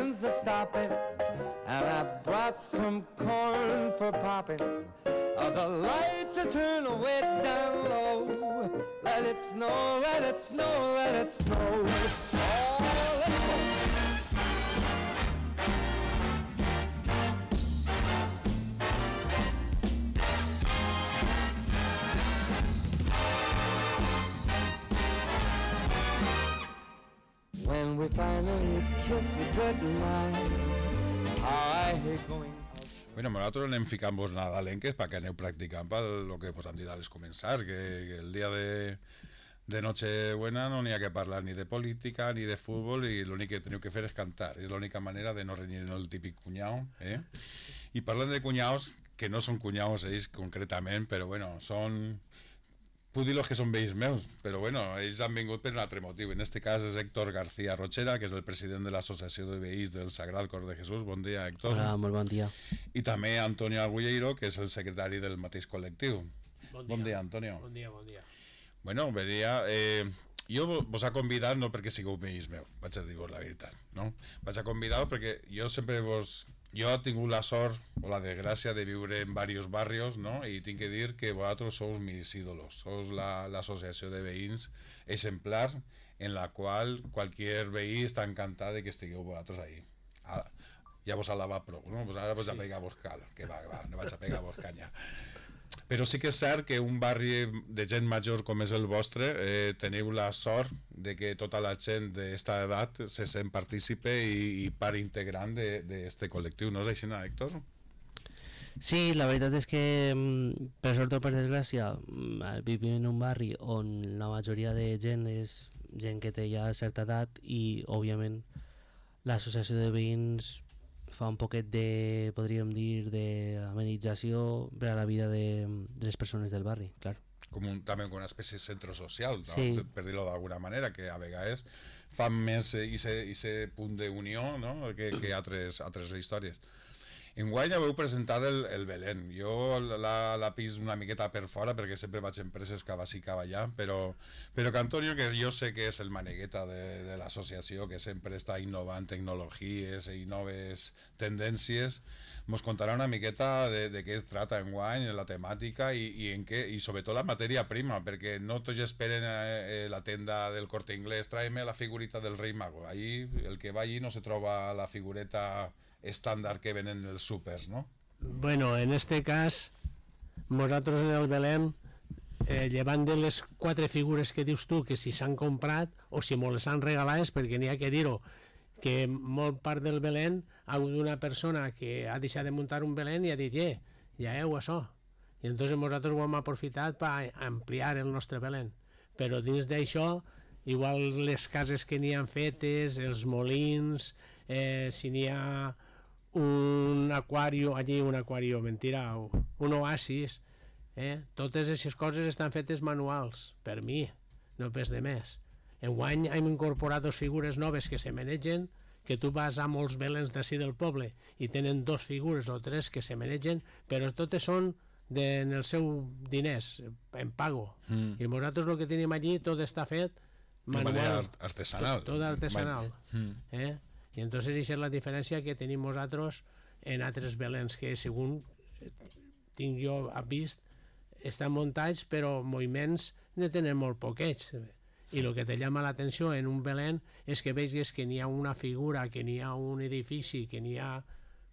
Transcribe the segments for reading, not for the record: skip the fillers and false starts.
wagons are stopping, and I've brought some corn for popping. The lights are turned way down low. Let it snow, let it snow, let it snow. Oh, let's go. When we finally kiss goodnight, I hate going. Bueno, nosaltres anem ficant-vos nadalenques perquè aneu practicant per lo que vos han dit als començars, que el dia de Nochebuena no n'hi ha que parlar ni de política ni de futbol i l'únic que teniu que fer és cantar, és l'única manera de no renyir el típic cunyau, I parlant de cunyaus, que no són cunyaus ells concretament, però bueno, són... Puc dir que són veïns meus, però bueno, ells han vingut per un altre motiu. En este cas és Héctor García Rochera, que és el president de l'Associació de Veïns del Sagrat Cor de Jesús. Bon dia, Héctor. Hola, molt bon dia. I també Antonio Agulleiro, que és el secretari del mateix col·lectiu. Bon dia, Antonio. Bon dia, bon dia. Bueno, venia... jo vos he convidat no perquè sigueu veïns meus, vaig a dir-vos la veritat, no? Vaig a convidar perquè jo sempre vos... Jo he tingut la sort o la desgràcia de viure en diversos barrios, no? I tinc que dir que vosaltres sou mis ídolos, sou l'associació de veïns exemplar en la qual qualsevol veí està encantat de que estigueu vosaltres ahí. Ja vos alaba prou, no? Ara vos a pegar-vos cal, que va, no vaig a pegar-vos canya. Però sí que és cert que un barri de gent major com és el vostre teniu la sort de que tota la gent d'esta edat se sent partícipe i part integrant d'este col·lectiu, no és així, Héctor? Sí, la veritat és que per sort o per desgràcia vivim en un barri on la majoria de gent és gent que té ja certa edat i òbviament l'associació de veïns fa un poquet de, podríem dir, d'amenització per a la vida de les persones del barri, clar. També com una espècie de centre social, no? Sí. Per dir-ho d'alguna manera, que a vegades fan més aquest punt d'unió, no? que altres històries. Enguany haveu presentat el Belén. Jo la pis una miqueta per fora perquè sempre vaig a empreses cava sí, cava allà, però que Antonio, que jo sé que és el manegueta de l'associació, que sempre està innovant tecnologies i noves tendències, mos contarà una miqueta de què es trata enguany, la temàtica i sobretot la matèria prima, perquè no tots esperen la tenda del Corte Inglés, tráeme la figurita del Rei Mago. Allí, el que va allí no se troba la figureta estàndard que venen els súpers, ¿no? Bueno, en este cas, nosaltres en el Belén, llevant de les 4 figures que dius tu, que si s'han comprat o si me les han regalat, perquè n'hi ha que dir-ho, que molt part del Belén ha hagut una persona que ha deixat de muntar un Belén i ha dit, ja heu això. I entonces nosaltres ho hem aprofitat per ampliar el nostre Belén. Però dins d'això, igual les cases que n'hi han fetes, els molins, si n'hi ha un aquario, mentira, un oasis, totes aquestes coses estan fetes manuals, per mi, no pes de més. Enguany hem incorporat 2 figures noves que se manegen, que tu vas a molts belens d'ací del poble i tenen 2 figures o 3 que se manegen, però totes són en el seu diners, en pago. I nosaltres el que tenim allí tot està fet manual, de manera artesanal. Tot artesanal. I entonces això és la diferència que tenim nosaltres en altres belens que segons tinc jo vist estan muntats però moviments ne tenen molt poquets i el que te llama l'atenció en un belén és que veus que n'hi ha una figura, que n'hi ha un edifici, que n'hi ha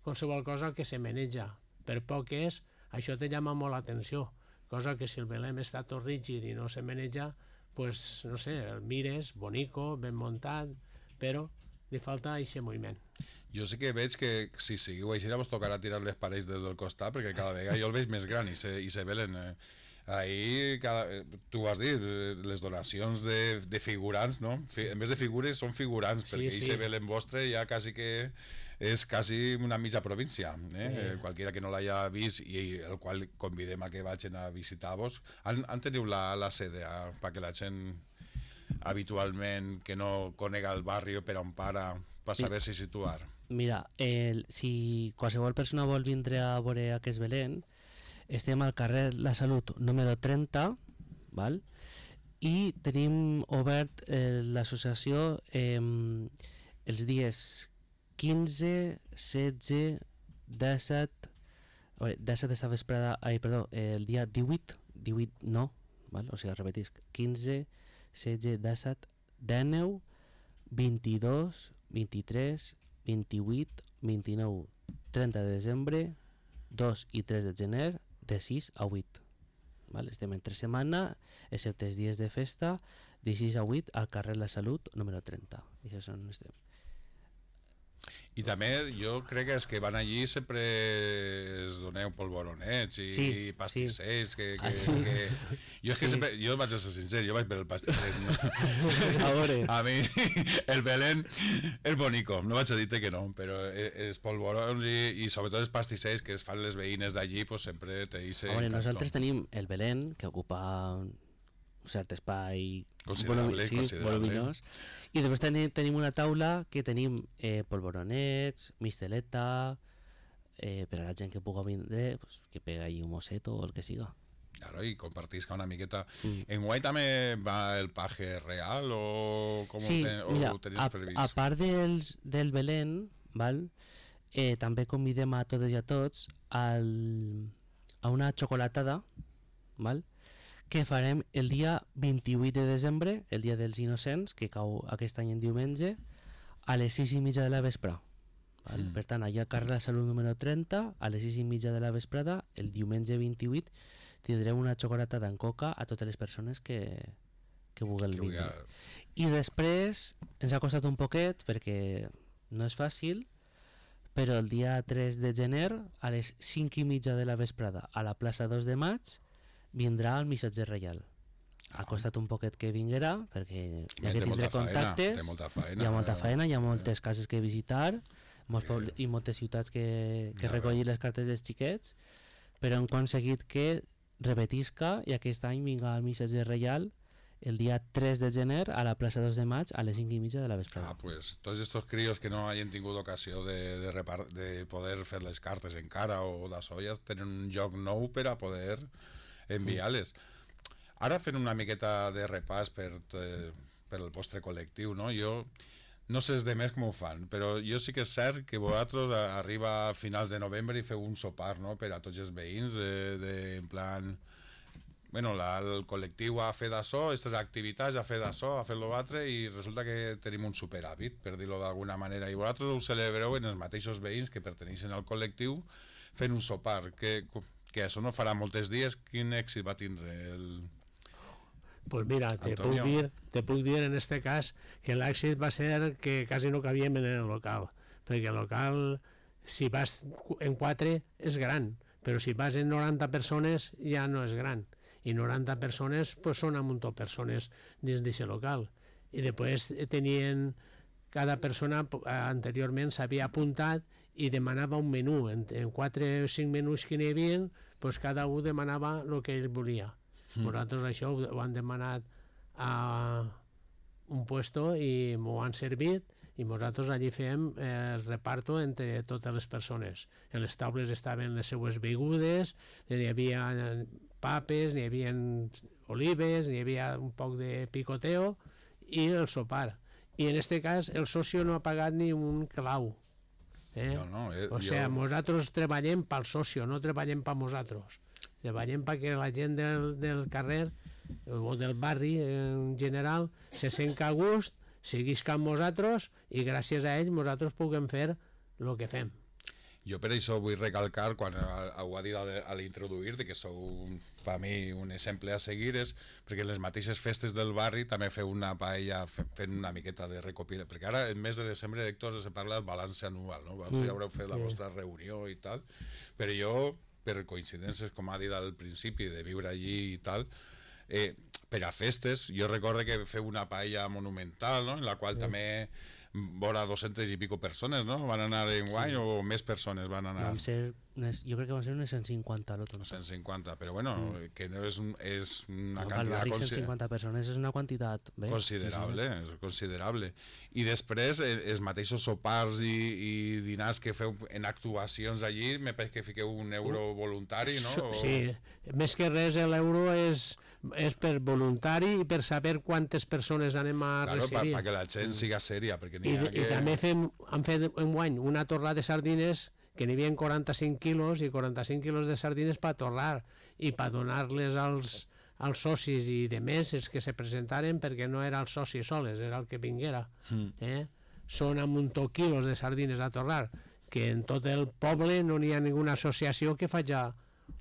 qualsevol cosa que se maneja, per poc que és, això te llama molt l'atenció, cosa que si el belén està tot rígid i no se maneja, pues no sé, el mires bonico, ben muntat, però li falta aquest moviment. Jo sí que veig que si seguiu així vos tocarà tirar les parets del costat perquè cada vegada jo el veig més gran i se velen ahí, tu has dit les donacions de figurants, no? En vez de figures són figurants, perquè ahí se velen vostre ja quasi que és quasi una mitja província, qualquiera que no l'haya vist i el qual convidem a que vagin a visitar-vos. Han teniu la sede perquè la gent habitualment que no conega el barri per on para saber si situar. Mira, si qualsevol persona vol vindre a veure aquest Belén, estem al carrer La Salut número 30, val? I tenim obert l'associació els dies 15, 16, 17... 17 esta vesprada, el dia 18 no, val? O sigui, repetisc, 15, 16, 17, 19, 22, 23, 28, 29, 30 de desembre, 2 i 3 de gener, de 6 a 8. Val? Estem entre setmana, excepte els dies de festa, de 6 a 8 al carrer La Salut, número 30. I això són estem. I també jo crec que els que van allí sempre es doneu polvoronets i Sí, pastissers sí. Jo és que sempre, jo vaig a ser sincer, jo vaig per el pastisser, no? A veure. A mi el Belén és bonico, no vaig a dir-te que no, però els polvorons i sobretot els pastissers que es fan les veïnes d'allí, pues sempre te dice. A veure, nosaltres tenim el Belén, que ocupa un cert espai considerable. voluminós, i després tenim una taula que tenim polvoronets, misteleta, per a la gent que pugui vindre, pues, que pega allí un mosset o el que siga. Claro, i compartisca una miqueta. En Guai també va el paje real o com Sí, mira, ho tenies previst? a part del Belén, val? També convidem a totes i a tots a una xocolatada, val? Que farem el dia 28 de desembre, el dia dels innocents, que cau aquest any en diumenge, a les 6:30 de la vesprada. Per tant, allà al carrer La Salut número 30, a les 6:30 de la vesprada, el diumenge 28, tindrem una xocolatada en coca a totes les persones que vulguin vindre. I després ens ha costat un poquet, perquè no és fàcil, però el dia 3 de gener, a les 5:30 de la vesprada, a la plaça 2 de Maig, vindrà el missatger reial. Ha costat un poquet que vinguerà, perquè ja que tindré contactes, hi ha molta feina, hi ha moltes cases que visitar, i moltes ciutats que recollir les cartes dels xiquets, però hem aconseguit que repetisca i aquest any vinga el missatger reial el dia 3 de gener a la plaça 2 de Maig a les 5:30 de la vesprada. Pues tots estos críos que no hagin tingut ocasió de poder fer les cartes encara o d'això ja tenen un lloc nou per a poder enviar-les. Ara fent una miqueta de repàs per el vostre col·lectiu, no? Jo no sé els demés com ho fan, però jo sí que és cert que vosaltres arriba a finals de novembre i feu un sopar, no?, per a tots els veïns, en plan... Bueno, el col·lectiu ha fet això, aquestes activitats, ha fet això, ha fet l'altre, i resulta que tenim un superàvit, per dir-ho d'alguna manera, i vosaltres ho celebreu en els mateixos veïns que perteneixen al col·lectiu fent un sopar, que això no farà molts dies. Quin èxit va tindre el... Pues mira, te puc dir en este cas que l'èxit va ser que quasi no cabíem en el local, perquè el local, si vas en 4 és gran, però si vas en 90 persones ja no és gran, i 90 persones pues, són un munt de persones dins d'aquest local, i després tenien, cada persona anteriorment s'havia apuntat i demanava un menú, en 4 o 5 menús que n'hi havia, pues cada un demanava el que ell volia. Nosaltres això ho han demanat a un puesto i m'ho han servit, i nosaltres allí fèiem el reparto entre totes les persones. En les taules estaven les seues begudes, n'hi havia papes, n'hi havia olives, n'hi havia un poc de picoteo i el sopar. I en este cas el socio no ha pagat ni un clau. O sigui, nosaltres treballem pel socio, no treballem per nosaltres. Treballem perquè la gent del carrer o del barri en general se sent a gust, seguisca amb nosaltres i gràcies a ells nosaltres puguem fer el que fem. Jo per això vull recalcar, quan ho ha dit a l'introduir, que sou per mi un exemple a seguir, és perquè en les mateixes festes del barri també feu una paella fent una miqueta de recopilació, perquè ara en mes de desembre, Héctor, se parla del balanç anual, no? Vosaltres ja haureu fet la vostra reunió i tal, però jo, per coincidències, com ha dit al principi, de viure allí i tal, per a festes, jo recordo que feu una paella monumental, no?, en la qual també vora 200 i pico persones, no?, van anar en guany, o més persones van anar? Jo crec que van ser unes 150 a l'altre. 150, però bueno, que no és una quantitat... Al barri 150 persones és una quantitat considerable, és considerable. I després, els mateixos sopars i dinars que feu en actuacions allí, me pareix que fiqueu €1 voluntari, no? Sí, més que res l'euro és és per voluntari i per saber quantes persones anem a Claro, recibir. para que la gent siga sèria, perquè n'hi I, ha i també han fet enguany una torrada de sardines que n'hi havia 45 quilos i 45 quilos de sardines per torrar i per donar-les als socis i de més els que se presentaren, perquè no era el soci soles, era el que vinguera. Són amb un toc quilos de sardines a torrar, que en tot el poble no n'hi ha ninguna associació que faci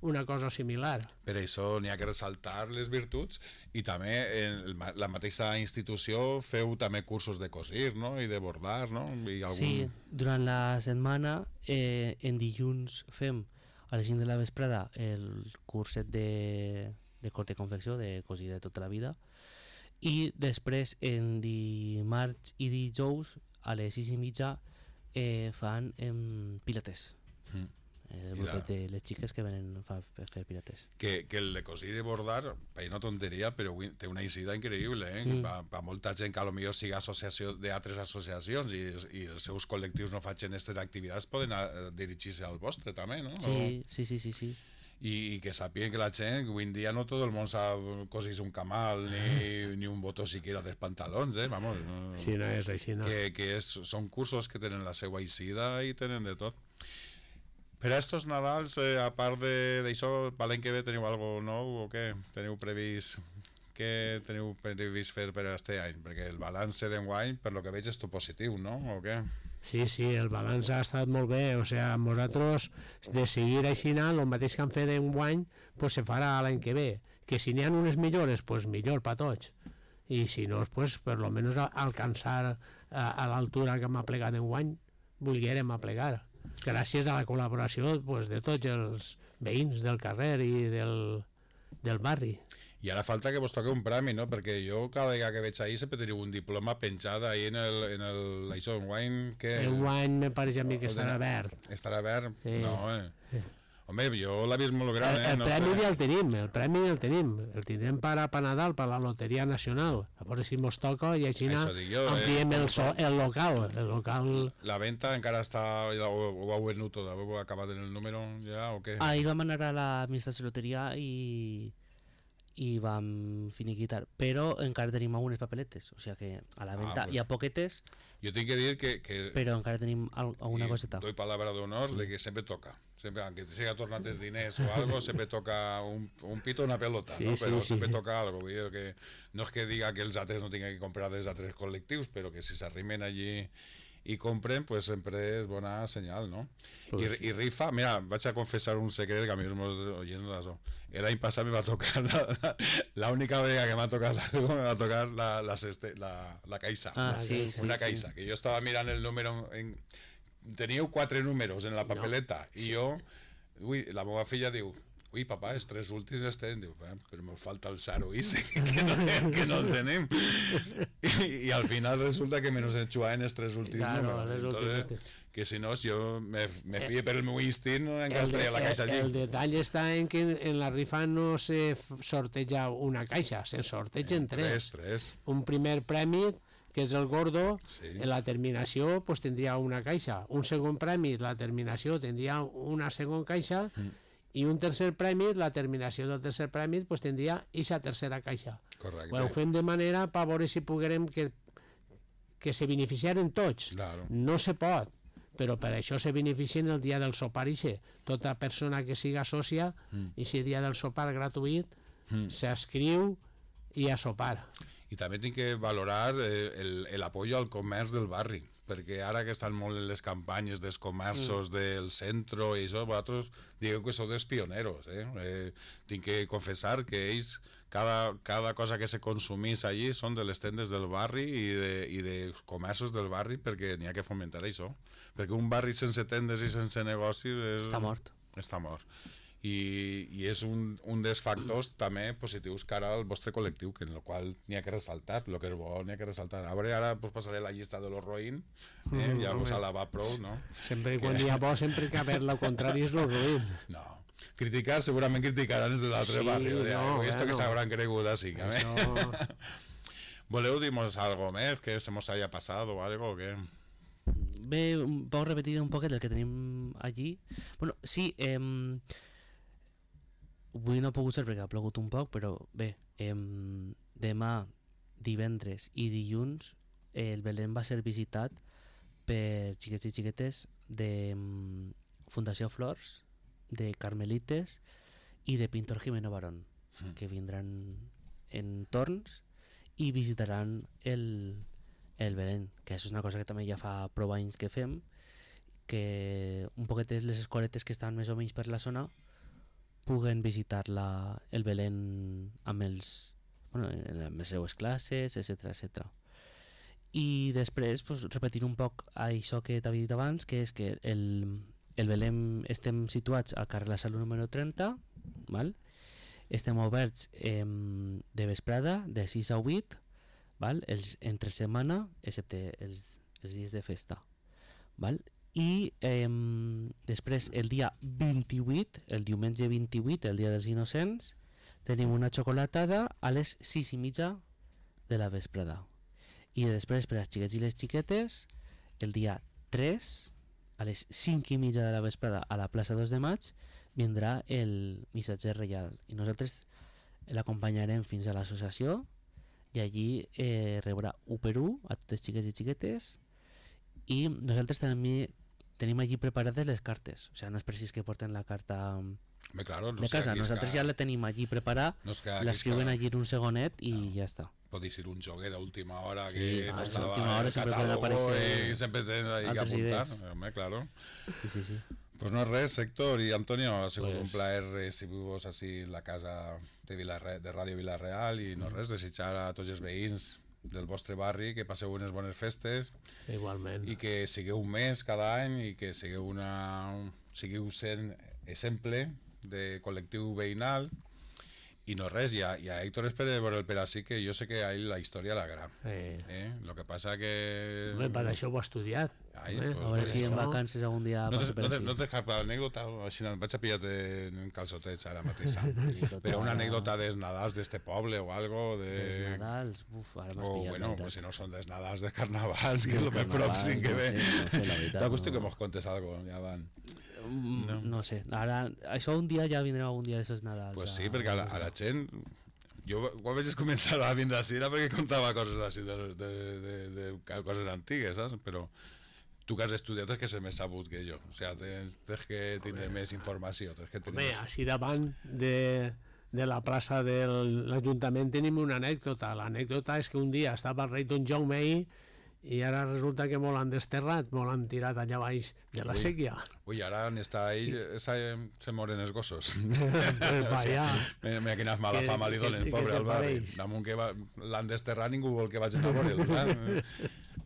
una cosa similar. Per això n'hi ha que ressaltar les virtuts i també en la mateixa institució feu també cursos de cosir, no? I de bordar, no? I algun... Sí, durant la setmana en dilluns fem a les 5 de la vesprada el curset de corte i confecció, de cosir de tota la vida, i després en dimarts i dijous a les 6:30 fan pilates. El grupet de les xiques que venen a fer pilates. Que el de cosir i bordar és una tonteria, però té una eixida increïble, per molta gent que potser sigui associació d'altres associacions i els seus col·lectius no facin aquestes activitats, poden dirigir-se al vostre també, no? Sí. I que sàpiguen que la gent, avui en dia no tot el món sap cosir un camal ni un botó siquiera dels pantalons, vamos. Sí, no és així, no. Que són cursos que tenen la seva eixida i tenen de tot. Per a estos Nadals, a part d'això, per l'any que ve teniu alguna cosa nou o què? Què teniu previst fer per aquest any? Perquè el balanç d'enguany, per lo que veig, és tot positiu, no? O què? Sí, el balanç ha estat molt bé, o sigui, nosaltres de seguir així anant, el mateix que han fet enguany, pues se farà l'any que ve. Que si n'hi ha unes millores, pues millor per tots. I si no, pues per lo menos alcançar a l'altura que m'ha plegat enguany, volguérem aplegar. Gràcies a la col·laboració pues, de tots els veïns del carrer i del barri. I ara falta que vos toque un premi, no? Perquè jo cada vegada que veig ahir sempre teniu un diploma penjat ahí en això, enguany... Enguany me pareix a mi que estarà verd. Estarà verd? No, Home, jo l'he vist molt gran, El premi ja el tenim, el tindrem per Nadal, per la Loteria Nacional. A veure si mos toca i així ampliem el local. La venta encara està, ho heu venut tot, heu acabat en el número ja o què? Ahir vam anar a l'administració de loteria i vam finiquitar, però encara tenim algunes papeletes, o sigui que a la venta hi ha poquetes. Jo tinc que dir que però encara tenim alguna coseta. Doy palabra d'honor de que sempre toca. Sempre, aunque te siga tornat els diners o algo, sempre toca un pito o una pelota, ¿no? Però sempre toca algo. Vull dir que no és que diga que els altres no tinguin que comprar dels altres col·lectius, però que si s'arrimen allí i compren, pues sempre és bona senyal, no? I rifa, mira, vaig a confessar un secret que a mi els meus oients no d'això. L'any passat me va tocar, l'única vegada que m'ha tocat algo, me va tocar la caixa. Una caixa, que jo estava mirant el número... Teníeu 4 números en la papeleta i jo, la meva filla diu, papà, els 3 últims els tenim, diu, però me falta el 0 que no el tenim. I al final resulta que menos enxuaven els 3 últims números. Entonces, que si no, si jo me fie per el meu instint, encara estaria la caixa allí. El detall està en que en la rifa no se sorteja una caixa, se sortegen 3. Un primer premi, que és el gordo, en la terminació pues, tindria una caixa. Un segon premi, la terminació tindria una segona caixa, i un tercer premi, la terminació del tercer premi, pues, tindria aquesta tercera caixa. Correcte. Ho fem de manera per veure si poguérem que se beneficiaren tots. Claro. No se pot, però per això se beneficien el dia del sopar ixe. Tota persona que siga sòcia, i si dia del sopar gratuït, s'escriu i a sopar. I també tinc que valorar l'apoyo al comerç del barri, perquè ara que estan molt en les campanyes dels comerços del centre i això, vosaltres digueu que sou dels pioneros. Tinc que confessar que ells, cada cosa que se consumís allí són de les tendes del barri i de comerços del barri, perquè n'hi ha que fomentar això. Perquè un barri sense tendes i sense negocis... Està mort. I és un dels factors també positius cara al vostre col·lectiu, que en el qual n'hi ha que ressaltar, el que és bo n'hi ha que ressaltar. Ara pues, passaré la llista de los roïn, ja vos la va prou, no? Sempre quan hi ha bo, sempre que haver lo contrari és lo roïn. No, criticar segurament criticaran els de l'altre barri, esto que s'hauran cregut així. Voleu dir-nos algo més, que se mos haya pasado o algo, o què? Bé, puc repetir un poquet el que tenim allí? Bueno, sí, avui no ha pogut ser perquè ha plogut un poc, però bé, demà, divendres i dilluns el Belén va ser visitat per xiquets i xiquetes de Fundació Flors, de Carmelites i de Pintor Jimeno Barón, que vindran en torns i visitaran el Belén, que és una cosa que també ja fa prou anys que fem, que un poquet les escoletes que estan més o menys per la zona puguen visitar el Belén amb amb les seues classes, etc. I després repetir un poc això que t'havia dit abans, que és que el Belén estem situats al carrer La Salut número 30, val? Estem oberts de vesprada de 6 a 8, val? Entre setmana, excepte els dies de festa, val? I després el dia 28, el diumenge 28, el dia dels innocents, tenim una xocolatada a les 6:30 de la vesprada. I després per als xiquets i les xiquetes el dia 3 a les 5:30 de la vesprada a la plaça 2 de maig vindrà el missatger reial i nosaltres l'acompanyarem fins a l'associació i allí rebrà 1 per 1 a tots els xiquets i xiquetes i nosaltres també tenim allí preparades les cartes, o sigui, no és precís que porten la carta claro, de casa, nosaltres ja la tenim allí preparada, l'escriuen allí en un segonet i ja està. Pot ser un joguer d'última hora Sí, que no a estava última hora en el sempre poden catálogo aparèixer y siempre tens ahí que altres apuntar. idees. Home, claro. Sí. Pues no res, Héctor y Antonio, ha sigut Pues- un plaer recibir-vos així en la casa de Ràdio Vila-real i no res, desitjar a tots els veïns del vostre barri que passeu unes bones festes Igualment. i que sigueu un mes cada any i que sigueu sent exemple de col·lectiu veïnal i no res, i a Héctor espera veure el per així que jo sé que a ell la història l'agrada. Lo que passa que... Home, per això ho ha estudiat. Ai, Home, pues, A veure si en això- vacances algun dia No passa per no així. tens cap anècdota? Així no, vaig a pillar-te en calçotets ara mateix. Total. Però una anècdota dels Nadals d'este poble o algo Els de... Nadals, ara m'has O pillat, bueno, la pues si veritat. no són dels Nadals, de Carnavals, que és el més Carnavals, pròxim que no ve. sé, la veritat, T'acosto que no. mos contes algo, ja van. No sé, ara, això un dia ja vindrem algun dia d'esos Nadals. Pues sí, perquè a la gent... Jo quan vaig començar a vindre així era perquè contava coses així de coses antigues, saps? Però tu que has estudiat és que ser més sabut que jo. O sigui, tens que tenir més informació. Tens que tenir Home, més... així davant de la plaça de l'Ajuntament tenim una anècdota. L'anècdota és que un dia estava el rei Don Jaume ahí i ara resulta que molt han desterrat, molt han tirat allà baix de la sèquia. Ui, ara on està ell se moren els gossos. Vaya. Mira quina mala Què- fama li donen, què- pobre què al barri. pareix? Damunt que l'han desterrat ningú vol que vagin a veure'l.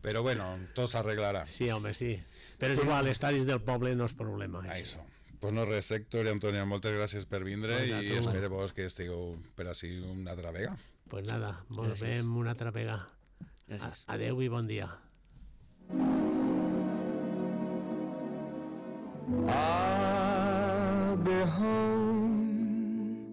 Però bueno, tot s'arreglarà. Sí, home, sí. Però és igual, estar dins del poble no és problema. Això. Pues no res, Héctor i Antonio, moltes gràcies per vindre Pues a i tu. espero vos que estigueu per així una altra vegada. Pues nada, ens Gràcies. veiem una altra vegada. Gràcies. Adeu i bon dia.